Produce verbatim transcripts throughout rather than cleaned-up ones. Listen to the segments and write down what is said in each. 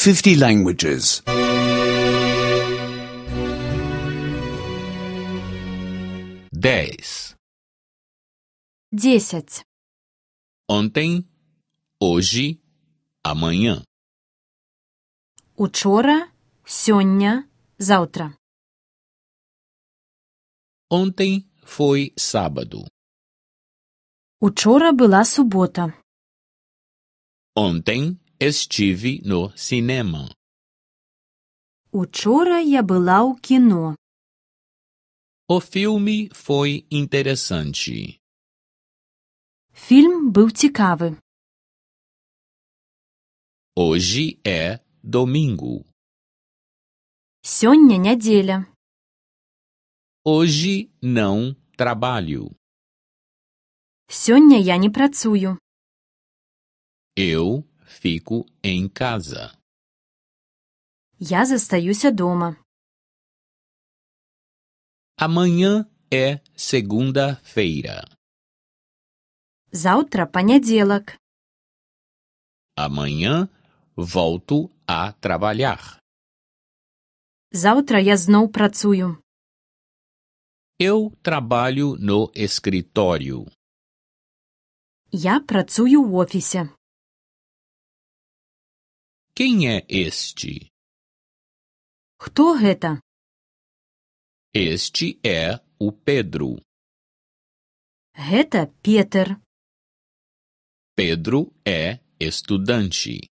fifty languages. Dez. Десять. Ontem, hoje, amanhã. Учора, сёння, заўтра. Ontem foi sábado. Учора была субота. Ontem estive no cinema. Учора я была ў кіно. O filme foi interessante. Фільм быў цікавы. Hoje é domingo. Сёння нядзеля. Hoje não trabalho. Сёння я не працую. Eu fico em casa. Я застаюся дома. Amanhã é segunda-feira. Заўтра панядзелак. Amanhã volto a trabalhar. Заўтра я зноў працую. Eu trabalho no escritório. Я працую ў офісе. Quem é este? Хто гэта? Este é o Pedro. Гэта Петер. Pedro é estudante.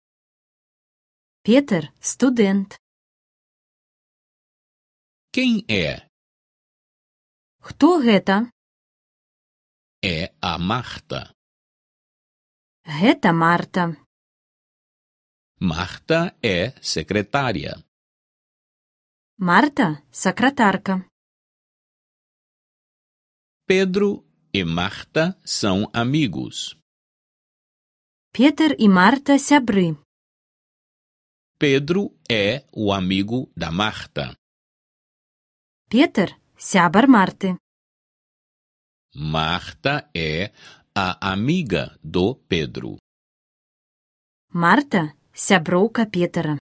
Петер студэнт. Quem é? Хто гэта? É a Marta. Гэта Марта. Marta é secretária. Марта сакратарка. Pedro e Marta são amigos. Петер і Марта сябры. Pedro é o amigo da Marta. Петер сябар Марты. Marta é a amiga do Pedro. Марта сяброўка Петера.